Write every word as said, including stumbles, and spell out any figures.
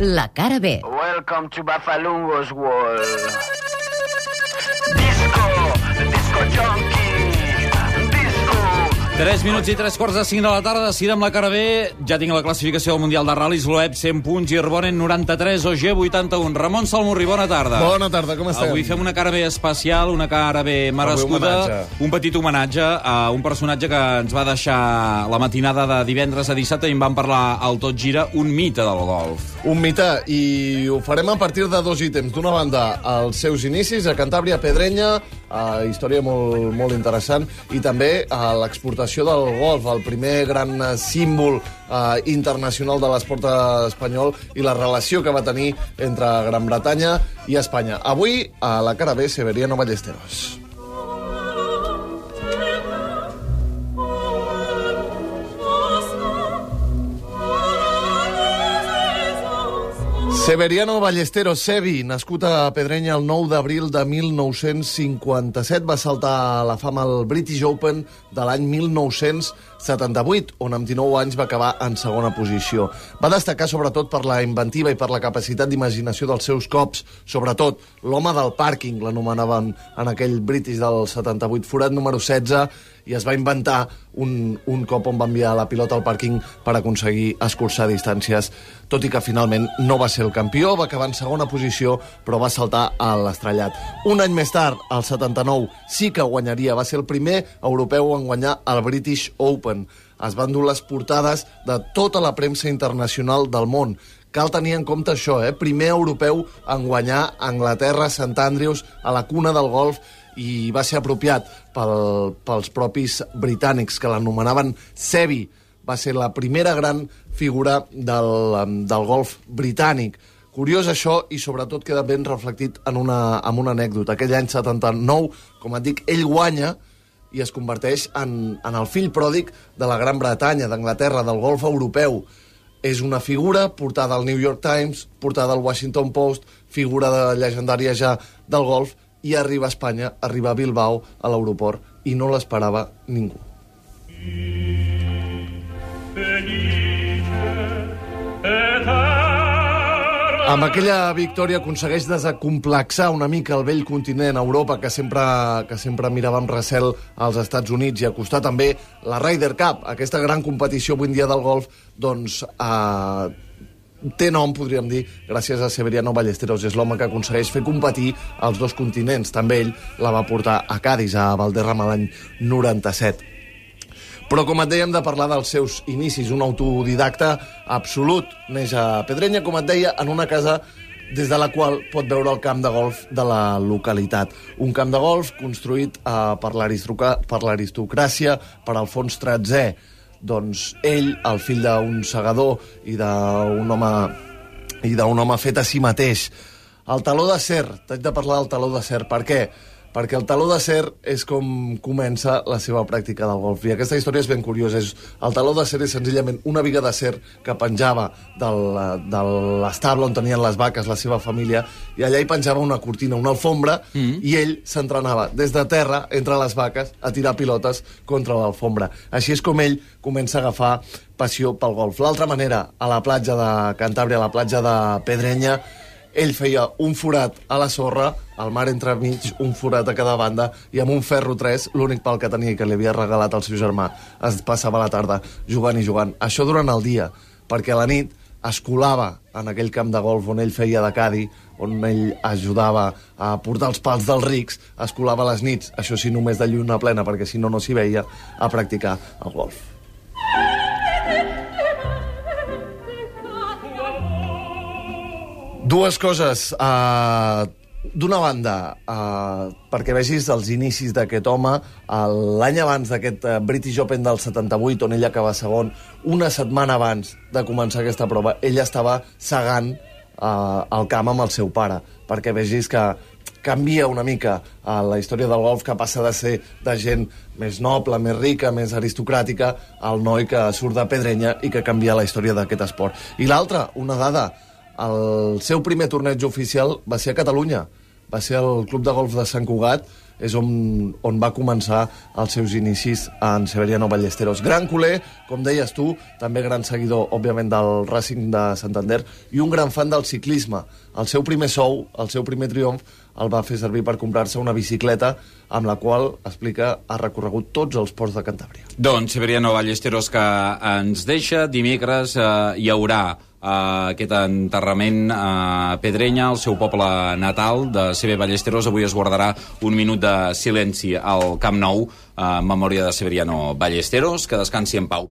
La cara B. Welcome to Bafalungo's world. Disco, disco junkie, disco. tres minuts i tres quarts de cinc de la tarda, decidem la cara B. Ja tinc la classificació del Mundial de Ral·lis. Loeb, cent punts, Girbonen, noranta-tres, O G, vuitanta-un. Ramon Salmurri, bona tarda. Bona tarda, com estem? Avui fem una cara B especial, una cara B merescuda, un petit homenatge a un personatge que ens va deixar la matinada de divendres a dissabte i en vam parlar al Tot Gira, un mite del golf. Un mite, i ho farem a partir de dos ítems. D'una banda, els seus inicis a Cantàbria, Pedrenya, uh, història molt, molt interessant, i també uh, l'exportació del golf, el primer gran símbol uh, internacional de l'esport espanyol i la relació que va tenir entre Gran Bretanya i Espanya. Avui, a la cara B, Severiano Ballesteros. Severiano Ballesteros, Sevi, nascut a Pedrenya el nou d'abril de mil nou-cents cinquanta-set, va saltar a la fama al British Open de l'any mil nou-cents setanta-vuit, on amb dinou anys va acabar en segona posició. Va destacar sobretot per la inventiva i per la capacitat d'imaginació dels seus cops, sobretot l'home del pàrquing, l'anomenaven en aquell British del setanta-vuit, forat número setze, i es va inventar un, un cop on va enviar la pilota al pàrquing per aconseguir escurçar distàncies, tot i que finalment no va ser el campió, va acabar en segona posició, però va saltar a l'estrellat. Un any més tard, al setanta-nou, sí que guanyaria, va ser el primer europeu en guanyar el British Open. Es van dur les portades de tota la premsa internacional del món. Cal tenir en compte això, eh? Primer europeu en guanyar a Anglaterra, Sant Andrews, a la cuna del golf, i va ser apropiat pel, pels propis britànics, que l'anomenaven Sevi. Va ser la primera gran figura del, del golf britànic. Curiós això, i sobretot queda ben reflectit en una, en una anècdota. Aquell any setanta-nou, com et dic, ell guanya i es converteix en, en el fill pròdig de la Gran Bretanya, d'Anglaterra, del golf europeu. És una figura portada al New York Times, portada al Washington Post, figura de llegendària ja del golf, i arriba a Espanya, arriba a Bilbao, a l'aeroport, i no l'esperava ningú. Amb aquella victòria aconsegueix desacomplexar una mica el vell continent, Europa, que sempre, que sempre mirava amb recel als Estats Units, i acostar també la Ryder Cup, aquesta gran competició avui en dia del golf, doncs eh, té nom, podríem dir, gràcies a Severiano Ballesteros. És l'home que aconsegueix fer competir els dos continents. També ell la va portar a Cadis, a Valderrama, l'any noranta-set. Però, com et dèiem, de parlar dels seus inicis, un autodidacta absolut. Neix a Pedrenya, com et deia, en una casa des de la qual pot veure el camp de golf de la localitat. Un camp de golf construït eh, per l'aristocràcia, per Alfons tretzè. Doncs ell, el fill d'un segador i d'un home, i d'un home fet a si mateix. El taló d'acer, t'haig de parlar del taló d'acer. Per què? Perquè el taló d'acer és com comença la seva pràctica del golf. I aquesta història és ben curiosa. El taló d'acer és senzillament una viga d'acer que penjava del, de l'estable on tenien les vaques, la seva família, i allà hi penjava una cortina, una alfombra, mm. i ell s'entrenava des de terra, entre les vaques, a tirar pilotes contra l'alfombra. Així és com ell comença a agafar passió pel golf. L'altra manera, a la platja de Cantàbria, a la platja de Pedrenya, ell feia un forat a la sorra, al mar entremig, un forat a cada banda, i amb un ferro tres, l'únic pal que tenia i que li havia regalat el seu germà, es passava la tarda jugant i jugant. Això durant el dia, perquè a la nit es colava en aquell camp de golf on ell feia de cadi, on ell ajudava a portar els pals dels rics, es colava a les nits, això sí, només de lluna plena, perquè si no, no s'hi veia, a practicar el golf. Dues coses. Uh, D'una banda, uh, perquè vegis els inicis d'aquest home, uh, l'any abans d'aquest uh, British Open del setanta-vuit, on ell acaba segon, una setmana abans de començar aquesta prova, ell estava segant uh, el camp amb el seu pare, perquè vegis que canvia una mica uh, la història del golf, que passa de ser de gent més noble, més rica, més aristocràtica, al noi que surt de Pedrenya i que canvia la història d'aquest esport. I l'altra, una dada, el seu primer torneig oficial va ser a Catalunya, va ser el Club de Golf de Sant Cugat, és on, on va començar els seus inicis en Severiano Ballesteros. Gran culer, com deies tu, també gran seguidor, òbviament, del Racing de Santander i un gran fan del ciclisme. El seu primer sou, el seu primer triomf, el va fer servir per comprar-se una bicicleta amb la qual, explica, ha recorregut tots els ports de Cantàbria. Doncs Severiano Ballesteros, que ens deixa. Dimecres eh, hi haurà Uh, aquest enterrament a Pedrenya, el seu poble natal de Seve Ballesteros. Avui es guardarà un minut de silenci al Camp Nou en memòria de Severiano Ballesteros. Que descansi en pau.